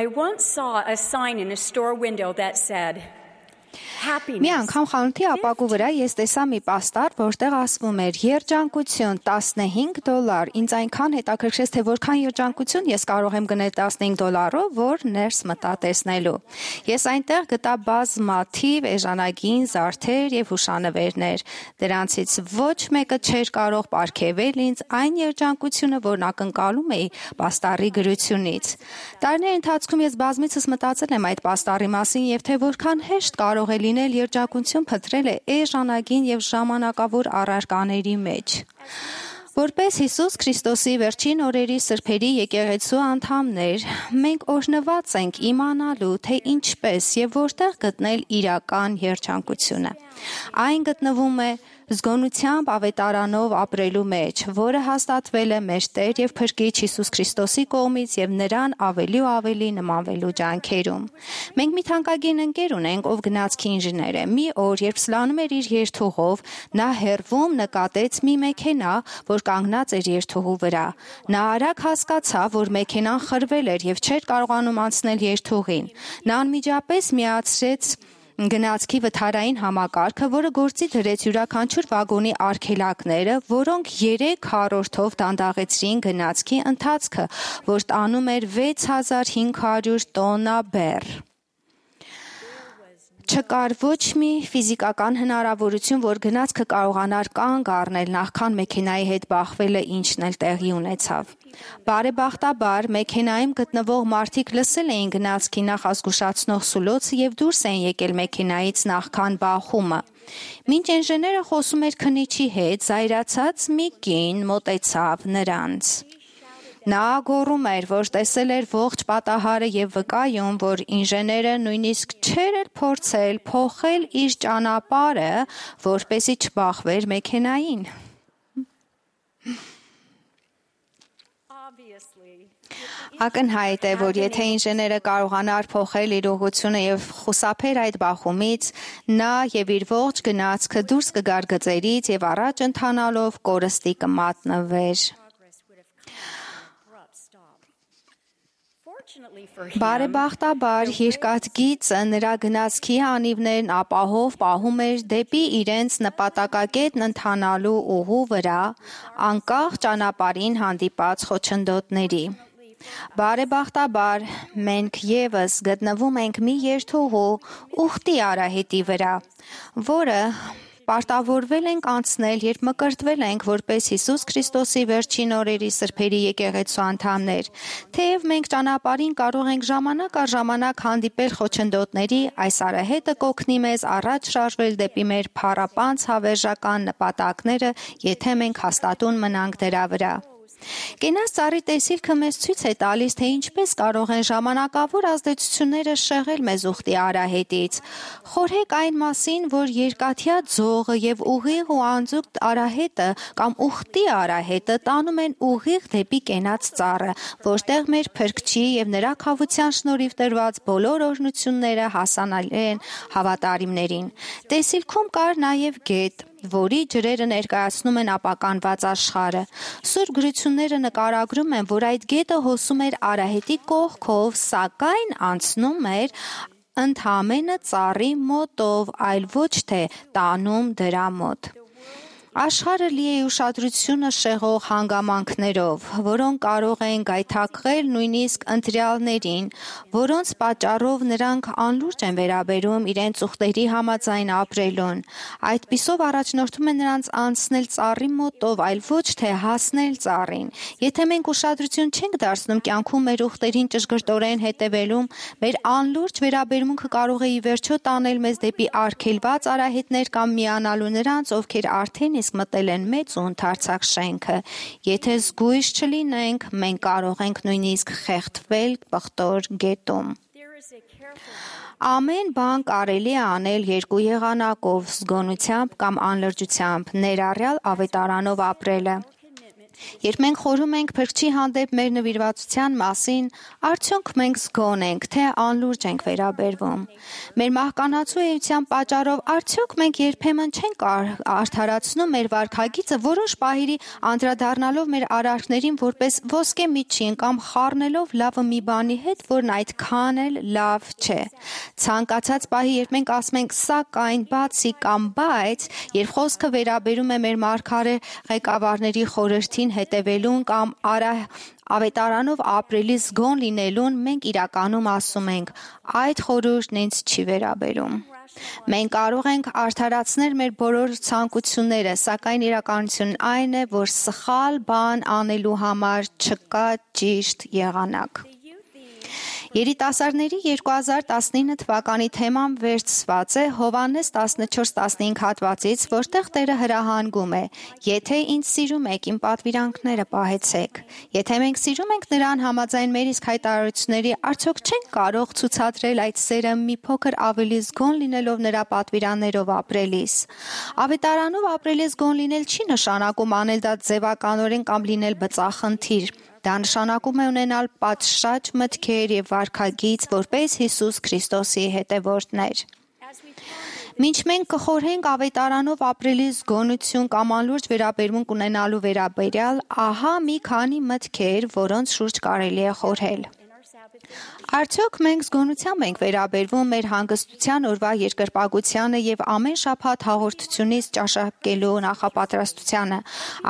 I once saw a sign in a store window that said, Մի անգամ խանութի ապակու վրա ես տեսա մի պաստառ, որտեղ ասվում էր երջանկություն $15, ինձ այնքան հետաքրքրեց, թե որքան երջանկություն ես կարող եմ գնել $15, որ ներս մտա տեսնելու։ Ես այնտեղ գտա բազմաթիվ էժանագին զարդեր եւ հուշանվերներ։ Դրանցից ոչ մեկը չէր կարող պարգևել ինձ այն երջանկությունը, որն ակնկալում էի պաստառի գրությունից։ Տարիների ընթացքում ես բազմիցս մտածել եմ այդ պաստառի մասին եւ թե որքան հեշտ կարող է լինել երջանկություն փնտրել էժանագին եւ ժամանակավոր առարկաների մեջ։ Որպես Հիսուս Քրիստոսի վերջին օրերի սրբերի եկեղեցու անդամներ, մենք օրհնված ենք իմանալու, թե ինչպես եւ որտեղ գտնել իրական երջանկությունը։ Այն գտնվում է զգոնությամբ ավետարանով ապրելու մեջ, որը հաստատվել է մեր Տեր եւ Փրկիչ Հիսուս Քրիստոսի կողմից եւ նրան ավելի ու ավելի նմանվելու ջանքերում։ Մենք մի թանկագին ընկեր ունենք, ով գնացքի ինժեներ է։ Մի օր, երբ սլանում էր իր երթուղով, նա հեռվում նկատեց մի մեքենա, որ կանգնած էր երթուղու վրա։ Նա արագ հասկացավ, որ մեքենան խրվել էր եւ չէր կարողանում անցնել երթուղին։ Նա անմիջապես միացրեց գնացքի վթարային համակարգը, որը գործի դրեց յուրաքանչյուր վագոնի արգելակները, որոնք 3 քառորդով դանդաղեցրին գնացքի ընթացքը, որ տանում էր 6500 տոննա բեռ։ Չկար ոչ մի ֆիզիկական հնարավորություն, որ գնացքը կարողանար կանգ առնել նախքան մեքենայի հետ բախվելը, ինչն էլ տեղի ունեցավ։ Բարեբախտաբար, մեքենայում գտնվող մարդիկ լսել էին գնացքի նախազգուշացնող սուլոցը եւ դուրս էին եկել մեքենայից նախքան բախումը։ Մինչ ինժեները խոսում էր քննիչի հետ, զայրացած մի կին մոտեցավ նրանց։ Նա գոռում էր, որ տեսել էր ողջ պատահարը եւ վկայում, որ ինժեները նույնիսկ չէր էլ փորձել փոխել իր ճանապարհը, որպեսզի չբախվեր մեքենային։ Ակնհայտ է, որ եթե ինժեները կարողանար փոխել իր ուղղությունը եւ խուսափեր այդ բախումից, նա եւ իր ողջ գնացքը դուրս կգար գծերից եւ առաջ ընթանալով կորստի կմատնվեր։ Բարեբախտաբար երկաթգիծը նրա գնացքի անիվներն ապահով պահում էր դեպի իրենց նպատակակետն ընթանալու ուղու վրա, անկախ ճանապարհին հանդիպած խոչընդոտների։ Բարեբախտաբար մենք եւս գտնվում ենք մի երթուղու ուխտի արահետի վրա, որը պարտավորվել ենք անցնել, երբ մկրտվել ենք որպես Հիսուս Քրիստոսի վերջին օրերի սրբերի եկեղեցու անդամներ։ Թեև մենք ճանապարհին կարող ենք ժամանակ առ ժամանակ հանդիպել խոչընդոտների, այս արահետը կօգնի մեզ առաջ շարժվել դեպի մեր փառապանծ հավերժական նպատակները, եթե մենք հաստատուն մնանք դրա վրա։ Կենաց ծառի տեսիլքը մեզ ցույց է տալիս, թե ինչպես կարող են ժամանակավոր ազդեցությունները շեղել մեզ ուխտի արահետից։ Խորհեք այն մասին, որ երկաթյա ձողը եւ ուղիղ ու անձուկ արահետը կամ ուխտի արահետը տանում են ուղիղ դեպի կենաց ծառը, որտեղ մեր Փրկչի եւ նրա քավության շնորհիվ տրված բոլոր օրհնությունները հասանելի են հավատարիմներին։ Տեսիլքում կար նաեւ գետ, որի ջրերը ներկայացնում են ապականված աշխարհը։ Սուրբ գրությունները նկարագրում են, որ այդ գետը հոսում էր արահետի կողքով, սակայն անցնում էր ընդամենը ծառի մոտով, այլ ոչ թե տանում դրա մոտ։ Աշխարհը լի է ուշադրությունը շեղող հանգամանքներով, որոնք կարող են գայթակղել նույնիսկ ընտրյալներին, որոնց պատճառով նրանք անլուրջ են վերաբերում իրենց ուխտերի համաձայն ապրելուն։ Այդպիսով առաջնորդում է նրանց անցնել ծառի մոտով, այլ ոչ թե հասնել ծառին։ Եթե մենք ուշադրություն չենք դարձնում կյանքում մեր ուխտերին ճշգրտորեն հետևելուն, մեր անլուրջ վերաբերմունքը կարող է ի վերջո տանել մեզ դեպի արգելված արահետներ կամ միանալու նրանց, ովքեր արդեն իսկ մտել են մեծ ու ընդարձակ շենքը։ Եթե զգույշ չլինենք, մենք կարող ենք նույնիսկ խեղդվել պղտոր գետում։ Ամեն բան կարելի է անել երկու եղանակով՝ զգոնությամբ կամ անլրջությամբ, ներառյալ ավետարանով ապրելը։ Երբ մենք խորհում ենք Փրկչի հանդեպ մեր նվիրվածության մասին, արդյոք մենք զգոն ենք, թե անլուրջ ենք վերաբերվում։ Մեր մահկանացու էության պատճառով արդյոք մենք երբեմն չենք արդարացնում մեր վարքագիծը, որոշ պահերի անդրադառնալով մեր արարքներին որպես ոսկե միջին կամ խառնելով լավը մի բանի հետ, որն այդքան էլ լավ չէ։ Ցանկացած պահի, երբ մենք ասում ենք սակայն, բացի կամ բայց, երբ խոսքը վերաբերում է մեր մարգարե ղեկավարների խորհրդին հետևելուն կամ ավետարանով ապրելի զգոն լինելուն, մենք իրականում ասում ենք. այդ խորհուրդն ինձ չի վերաբերում։ Մենք կարող ենք արդարացնել մեր բոլոր ցանկությունները, սակայն իրականությունն այն է, որ սխալ բան անելու համար չկա ճիշտ եղանակ։ Երիտասարդների 2019 թվականի թեման վերցված է Հովհաննես 14:15 հատվածից, որտեղ Տերը հրահանգում է. «Եթե ինձ սիրում եք, իմ պատվիրանքները պահեցեք»։ Եթե մենք սիրում ենք Նրան համաձայն մեր իսկ հայտարարությունների, արդյոք չենք կարող ցուցադրել այդ սերը մի փոքր ավելի զգոն լինելով Նրա պատվիրաններով ապրելիս։ Ավետարանով ապրելիս զգոն լինել չի նշանակում անել դա ձևականորեն կամ լինել բծախնդիր։ Դա նշանակում է ունենալ պատշաճ մտքեր և վարքագիծ, որպես Հիսուս Քրիստոսի հետևորդներ։ Մինչ մենք կխորհենք ավետարանով ապրելի զգոնություն կամ անլուրջ վերաբերմունք ունենալու վերաբերյալ, ահա մի քանի մտքեր, որոնց շուրջ կարելի է խորհել։ Արդյոք մենք զգոնությամբ ենք վերաբերվում մեր հանգստության օրվա երկրպագությանը և ամեն շաբաթ հաղորդությունից ճաշակելու նախապատրաստությանը։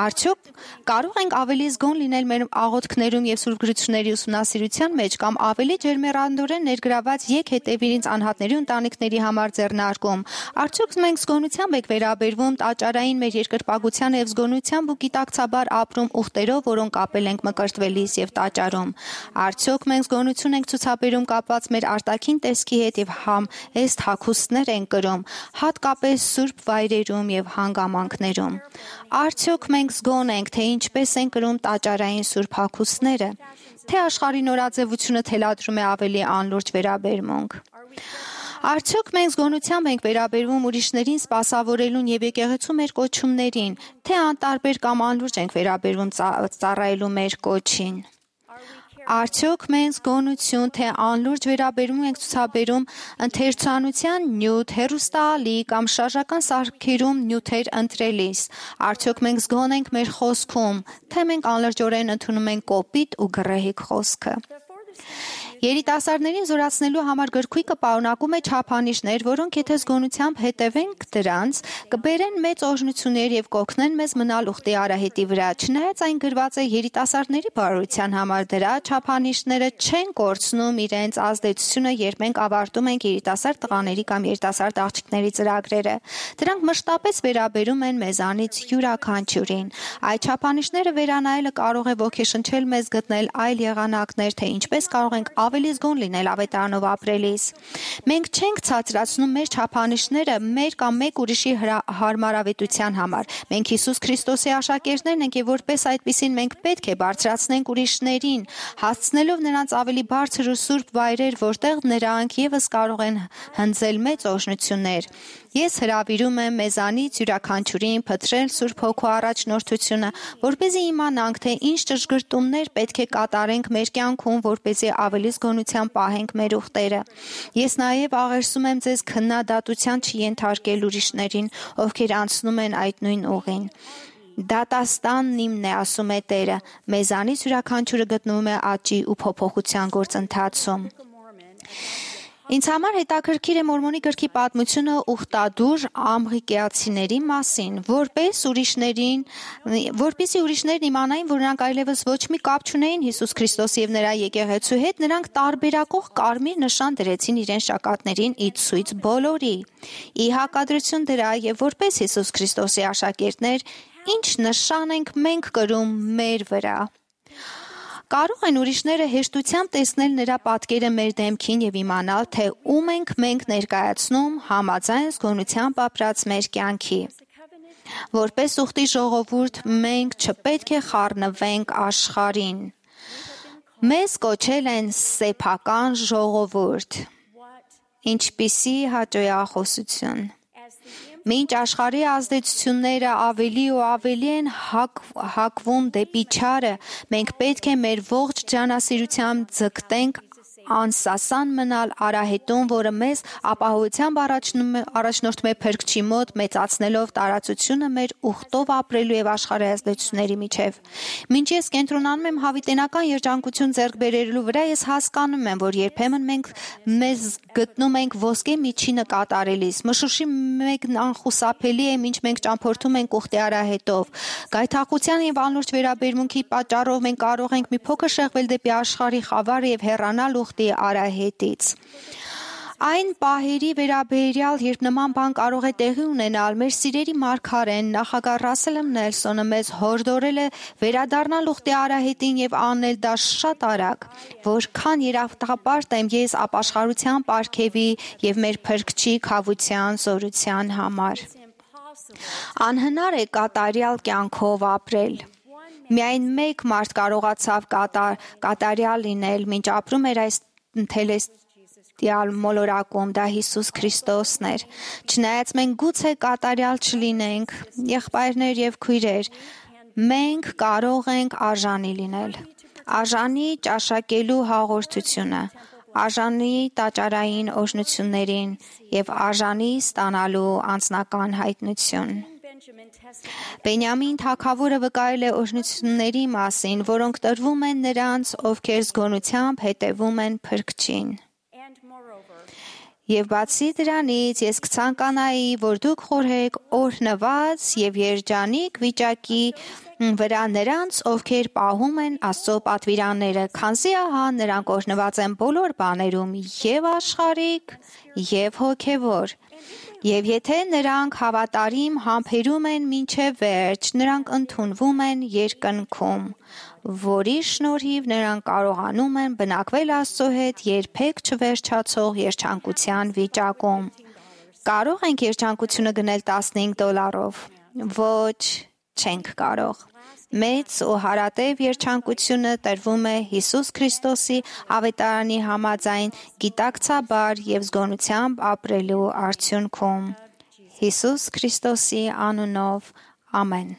Արդյոք կարող ենք ավելի զգոն լինել մեր աղոթքներում և Սուրբ Գրությունների ուսումնասիրության մեջ կամ ավելի ջերմեռանդորեն ներգրաված «Եկ հետևիր ինձ» անհատների ու ընտանիքների համար ձեռնարկում։ Արդյոք մենք զգոնությամբ ենք վերաբերվում տաճարային մեր երկրպագությանը և զգոնությամբ ու գիտակցաբար ապրում ուխտերով, որոնք կապել ենք մկրտվելիս և տաճարում։ Արդյոք մենք զգոնություն ենք ցուցաբերում կապված մեր արտաքին տեսքի հետ և համեստ հագուստներ ենք կրում, հատկապես սուրբ վայրերում և հանգամանքներում։ Արդյոք մենք զգոն ենք, թե ինչպես են կրում տաճարային սուրբ հագուստները, թե աշխարհի նորաձևությունը թելադրում է ավելի անլուրջ վերաբերմունք։ Արդյոք մենք զգոնությամբ ենք վերաբերվում ուրիշներին սպասավորելուն և եկեղեցու մեր կոչումներին, թե անտարբեր կամ անլուրջ ենք վերաբերվում ծառայելու մեր կոչին։ Արդյոք մենք զգոնություն, թե անլուրջ վերաբերում ենք ցուցաբերում ընթերցանության նյութ, հեռուստաալի կամ շարժական սարքերում նյութեր ընտրելիս։ Արդյոք մենք զգոն ենք մեր խոսքում, թե մենք անլրջորեն ընդունում ենք կոպիտ ու գռեհիկ խոսքը։ Երիտասարդներին զորացնելու համար գրքույկը պարունակում է չափանիշներ, որոնք եթե զգոնությամբ հետևենք դրանց, կբերեն մեծ օրհնություններ և կօգնեն մեզ մնալ ուխտի արահետի վրա։ Չնայած այն գրված է երիտասարդների բարօրության համար, դրա չափանիշները չեն կորցնում իրենց ազդեցությունը, երբ մենք ավարտում ենք երիտասարդ տղաների կամ երիտասարդ աղջիկների ծրագրերը։ Դրանք մշտապես վերաբերում են մեզանից յուրաքանչյուրին։ Այդ չափանիշները վերանայելը կարող է ոգեշնչել մեզ գտնել այլ եղանակներ, թե ինչպես կարող ենք ավելի զգոն լինել ավետարանով ապրելիս։ Մենք չենք ցածրացնում մեր չափանիշները մեր կամ մեկ ուրիշի հարմարավետության համար։ Մենք Հիսուս Քրիստոսի աշակերտներն ենք և որպես այդպիսին մենք պետք է բարձրացնենք ուրիշներին, հասցնելով նրանց ավելի բարձր ու սուրբ վայրեր, որտեղ նրանք ևս կարող են հնձել մեծ օրհնություններ։ Ես հրավիրում եմ մեզանից յուրաքանչյուրին փնտրել Սուրբ Հոգու առաջնորդությունը, որպեսզի իմանանք, թե ինչ ճշգրտումներ պետք է կատարենք մեր կյանքում, որպեսզի ավելի զգոնությամբ պահենք մեր ուխտերը։ Ես նաև աղերսում եմ ձեզ քննադատության չենթարկել ուրիշներին, ովքեր անցնում են այդ նույն ուղին։ Դատաստանն իմն է, ասում է Տերը, մեզանից յուրաքանչյուրը գտնվում է աճի ու փոփոխության գործընթացում։ Ինձ համար հետաքրքիր է Մորմոնի գրքի պատմությունը ուխտադուր ամղիկեացիների մասին, որպեսզի ուրիշներն իմանային, որ նրանք այլևս ոչ մի կապ չունեին Հիսուս Քրիստոսի և նրա եկեղեցու հետ, նրանք տարբերակող կարմիր նշան դրեցին իրենց ճակատներին ի ցույց բոլորի։ Ի հակադրություն դրա և որպես Հիսուս Քրիստոսի աշակերտներ, ինչ նշան ենք մենք կրում մեր վրա։ Կարող են ուրիշները հեշտությամբ տեսնել նրա պատկերը մեր դեմքին և իմանալ, թե ում ենք մենք ներկայացնում համաձայն զգոնությամբ ապրած մեր կյանքի։ Որպես ուխտի ժողովուրդ մենք չպետք է խառնվենք աշխարհին։ Մեզ կոչել են սեփական ժողովուրդ։ Ինչպիսի հաճոյախոսություն։ Մինչ աշխարհի ազդեցությունները ավելի ու ավելի են հակվում դեպի չարը, մենք պետք է մեր ողջ ջանասիրությամբ ձգտենք անսասան մնալ արահետում, որը մեզ ապահովությամբ առաջնորդում է Փրկչի մոտ, մեծացնելով տարածությունը մեր ուխտով ապրելու եւ աշխարհի ազդեցությունների միջև։ Մինչ ես կենտրոնանում եմ հավիտենական երջանկություն ձեռք բերելու վրա, ես հասկանում եմ, որ երբեմն մենք մեզ գտնում ենք ոսկե միջինը կատարելիս։ Մշուշի մեկն անխուսափելի է, ինչ մենք ճամփորդում ենք ուխտի արահետով։ Գայթակղության եւ անլուրջ վերաբերմունքի պատճառով մենք կարող ենք մի փոքր շեղվել դեպի աշխարհի խավարը եւ հեռանալ ուխտի արահետից։ Այն պահերի վերաբերյալ, երբ նման բան կարող է տեղի ունենալ, մեր սիրելի մարգարեն նախագահ Ռասել Նելսոնը մեզ հորդորել է վերադառնալ ուխտի արահետին եւ անել դա շատ արագ, որքան երախտապարտ եմ ես ապաշխարության պարգևի եւ մեր Փրկչի քավության զորության համար։ Անհնար է կատարյալ կյանքով ապրել։ Միայն մեկ մարդ կարողացավ կատարյալ լինել, մինչ ապրում էր այս թելեստիալ մոլորակում, դա Հիսուս Քրիստոսն էր։ Չնայած մենք գուցե կատարյալ չլինենք, եղբայրներ եւ քույրեր, մենք կարող ենք արժանի լինել։ Արժանի ճաշակելու հաղորդությունը, արժանի տաճարային օրհնություններին եւ արժանի ստանալու անձնական հայտնություն։ Բենյամին թագավորը վկայել է օրհնությունների մասին, որոնք տրվում են նրանց, ովքեր զգոնությամբ հետևում են Փրկչին։ Եվ բացի դրանից, ես կցանկանայի, որ դուք խորհեք օրհնված եւ երջանիկ վիճակի վրա նրանց, ովքեր պահում են Աստծո պատվիրանները, քանզի ահա նրանք օրհնված են բոլոր բաներում, եւ աշխարհիկ, եւ հոգեվոր։ Եվ եթե նրանք հավատարիմ համբերում են մինչև վերջ, նրանք ընդունվում են երկնքում, որի շնորհիվ նրանք կարողանում են բնակվել Աստծո հետ երբեք չվերջացող երջանկության վիճակում։ Կարող ենք երջանկությունը գնել $15։ Ոչ, չենք կարող։ Մեծ ու հարատև երջանկությունը տրվում է Հիսուս Քրիստոսի ավետարանի համաձայն գիտակցաբար եւ զգոնությամբ ապրելու արդյունքում։ Հիսուս Քրիստոսի անունով, ամեն։